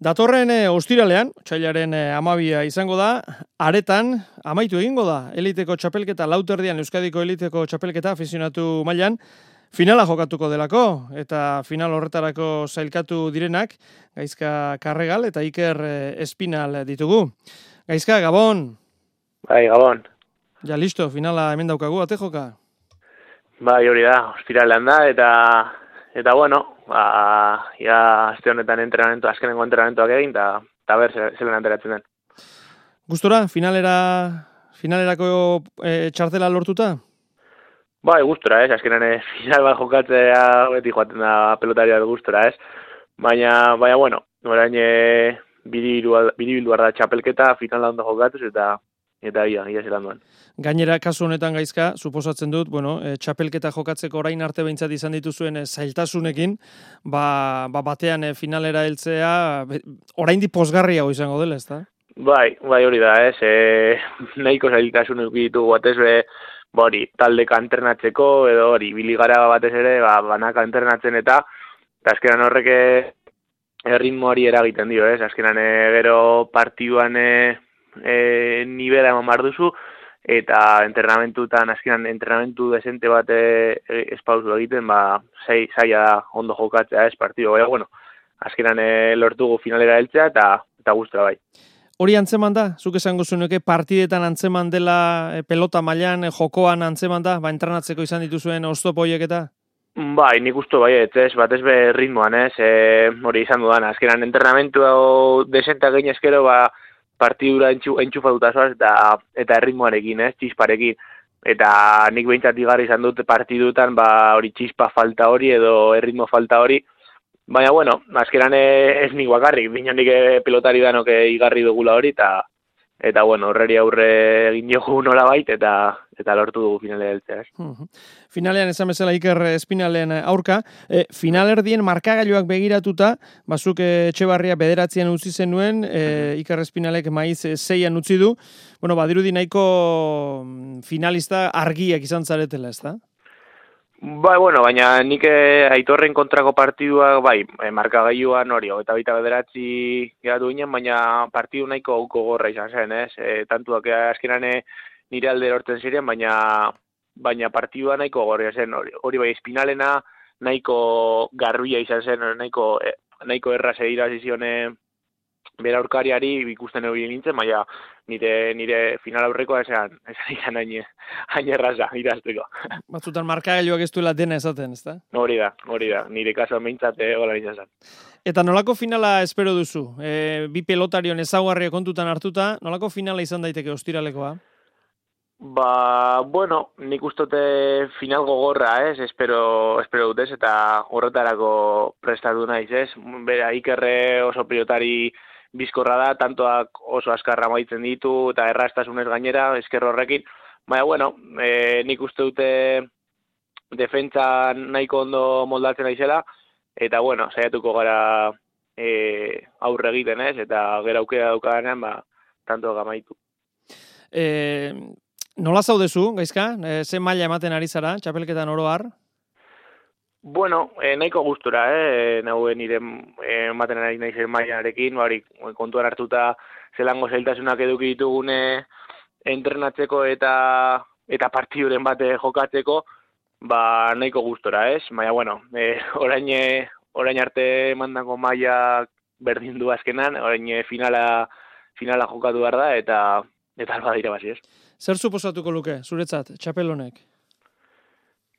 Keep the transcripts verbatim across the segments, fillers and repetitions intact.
Datorren e, ostiralean, otsailaren e, amabia izango da, aretan amaitu egingo da. Eliteko txapelketa, lauterdian Euskadiko eliteko txapelketa afizionatu mailan, finala jokatuko delako, eta final horretarako zailkatu direnak, Gaizka Karregal eta Iker e, Espinal ditugu. Gaizka, Gabon! Bai, Gabon. Ja, listo, finala hemen daukagu, ate joka? Bai, hori da, ostiralean da, eta, eta bueno, ba, ja, azte honetan entrenamentu, azkenengo entrenamentuak egin, eta, eta ber, zelen enteratzen den. Gustora, finalera, finalerako e, txartela lortuta? Bai, gustora, ez, azkenean e, final bat jokatzea beti joaten da pelotaria gustora, ez, baina, baina, bueno, orain e, biribildu da txapelketa, finala ondo jokatuz, eta, eta ia, ia zelan duen. Gainera, kasu honetan Gaizka, suposatzen dut, bueno, e, txapelketa jokatzeko orain arte behintzat izan dituzuen e, zailtasunekin, ba, ba batean e, finalera heltzea, oraindik pozgarriago izango dela, ezta? Bai, bai hori da, ez, e, nahiko zailtasun ditugu batez be, ba hori, taldeka entrenatzeko, edo hori, biligara batez ere, ba, banaka entrenatzen eta, eta azkenan horrek erritmoari eragiten dio, ez, azkenan e, gero partiduan e, e, nivela eman behar duzu, eta entrenamentutan, azkenan entrenamentu desente bat e, espauzu egiten, ba, zaila da ondo jokatzea ez partidu, baina, bueno, azkenan e, lortugu finalera heltzea eta, eta gustura bai. Hori antzeman da? Zuk esango zunuke partidetan antzeman dela e, pelota mailan, e, jokoan antzeman da, ba, entrenatzeko izan dituzuen oztopo horiek eta? Bai, nik usto bai, ez, bat ez be ritmoan, ez, e, hori izan dudan, azkenan entrenamentu desenta egin eskero, ba, partidura entxufatuta zoaz eta, eta erritmoarekin, ez, txisparekin. Eta nik behintzat igarri izan dut partidutan, ba, hori txispa falta hori edo erritmo falta hori. Baina, bueno, azkeran ez nik bakarrik, bino nik pelotari danok igarri dugula hori, eta, eta bueno, horreri aurre egin jogu nola bait, eta, eta lortu dugu finalea heltzea, ez. Uh-huh. Finalean esan bezala Iker Espinalen aurka, e, finalerdien markagailuak begiratuta, bazuk Etxebarria bederatzean utzi zenuen, e, Iker Espinalek maiz zeian utzi du, bueno, badirudi nahiko finalista argiak izan zaretela, ez da? Bai, bueno, baina nik Aitorren kontrako partidua, bai, markagailuan hori, eta baita bederatzi geratu ginen, baina partidu nahiko gogorra izan zen, ez? E, tantuak azkenan nire alde horten ziren, baina baina partidua nahiko gogorra zen, hori, hori bai, Espinalena nahiko garruia izan zen, nahiko, nahiko erraz irazi zion bera aurkariari ikusten hori nintzen, baina nire, nire final aurrekoa esan, esan izan hain, hain erraza irazteko. Batzutan markagailuak ez duela dena esaten, ez da? Hori da, hori da, nire kasuan behintzate gola izan zen. Eta nolako finala espero duzu? E, bi pelotarion ezaugarria kontutan hartuta, nolako finala izan daiteke ostiralekoa? Ba, bueno, nik ustote final gogorra, ez, espero, espero dut ez, eta horretarako prestatu naiz, ez. Bera, Ikerre oso pilotari bizkorra da, tantoak oso azkarra maitzen ditu, eta errastasunez gainera, esker horrekin. Baina, bueno, e, nik uste dute defentsa nahiko ondo moldatzen naizela, eta, bueno, saiatuko gara e, aurre egiten, ez, eta gero aukera daukadanean, ba, tanto gamaitu. E, nola zaudezu, Gaizka? E, ze maila ematen ari zara, txapelketan oro har? Bueno, eh, nahiko gustura, eh, nagoen nire eh, ematen ari naizen mailarekin, bari, kontuan hartuta zelango zailtasunak eduki ditugune entrenatzeko eta eta partiduren bate jokatzeko, ba nahiko gustora, ez? Baina, bueno, eh, orain, orain arte mandako maila berdin du azkenan, orain finala, finala jokatu behar da, eta eta alba dira basi, ez? Zer suposatuko luke, zuretzat, txapel honek?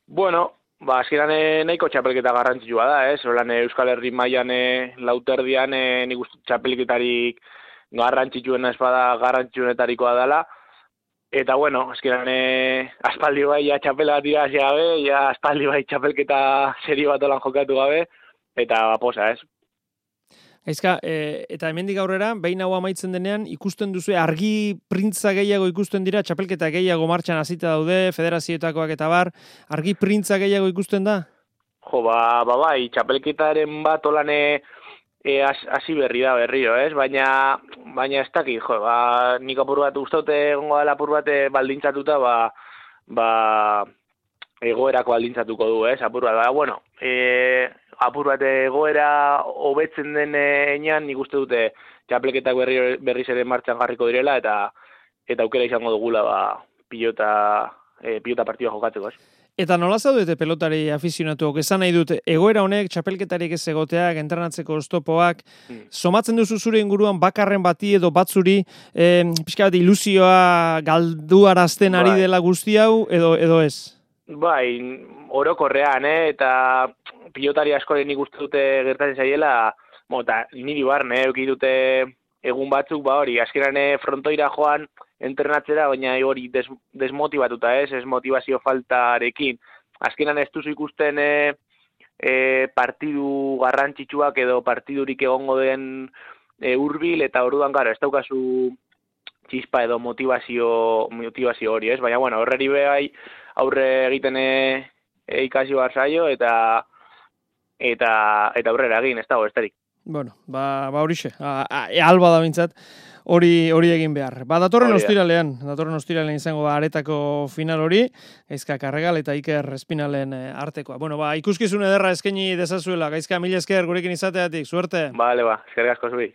Bueno, ba, azkeran nahiko txapelketa garrantzitsua da, ez? Horan Euskal Herri mailan lauterdian nik uste txapelketarik garrantzitsuena espada garrantzitsuenetarikoa dela. Eta, bueno, azkeran aspaldi bai ja txapela bat irazi gabe, ja aspaldi bai txapelketa serio bat olan jokatu gabe, eta posa, ez? Gaizka, e, eta hemendik aurrera, behin hau amaitzen denean, ikusten duzu, argi printza gehiago ikusten dira, txapelketa gehiago martxan hasita daude, federazioetakoak eta bar, argi printza gehiago ikusten da? Jo, ba, ba bai, txapelketaren bat olane e, hasi berri da berriro, ez? Baina, baina ez dakit, jo, ba, nik apur bat ustote egongo dela apur bat baldintzatuta, ba, ba, egoerako baldintzatuko du, ez? Apur bat, ba, bueno, e, apur bat egoera hobetzen den enean, nik uste dute txapelketak berri, berriz ere martxan jarriko direla, eta eta aukera izango dugula ba, pilota, e, pilota partidua jokatzeko, ez? Eta nola zaudete pelotari afizionatuok, esan nahi dut, egoera honek txapelketarik ez egoteak, entrenatzeko oztopoak, mm. somatzen duzu zure inguruan bakarren bati edo batzuri, eh, pixka bat ilusioa galduarazten ari dela guzti hau, edo, edo ez? Bai, orokorrean, eh? Eta pilotari askoren nik uste dute gertatzen zaiela, eta niri barne, euki dute egun batzuk, ba hori, azkeran frontoira joan, entrenatzera, baina hori des, desmotibatuta, ez, ez motivazio faltarekin. Azkenan ez duzu ikusten e, e, partidu garrantzitsuak edo partidurik egongo den e, hurbil, eta orduan gara, ez daukazu txispa edo motivazio, motivazio hori, ez? Baina, bueno, horreri behai aurre egiten e, e, ikasi behar zaio, eta, eta, eta aurrera egin, ez dago, esterik. Bueno, ba, ba horixe, alba da bintzat. Hori hori egin behar. Ba, datorren ostiralean, datorren ostiralean izango da aretako final hori, Gaizka Karregal eta Iker Espinalen artekoa. Bueno, ba, ikuskizun ederra eskaini dezazuela, Gaizka, mila esker gurekin izateatik, suerte. Bale, ba, eskerrik asko zuri.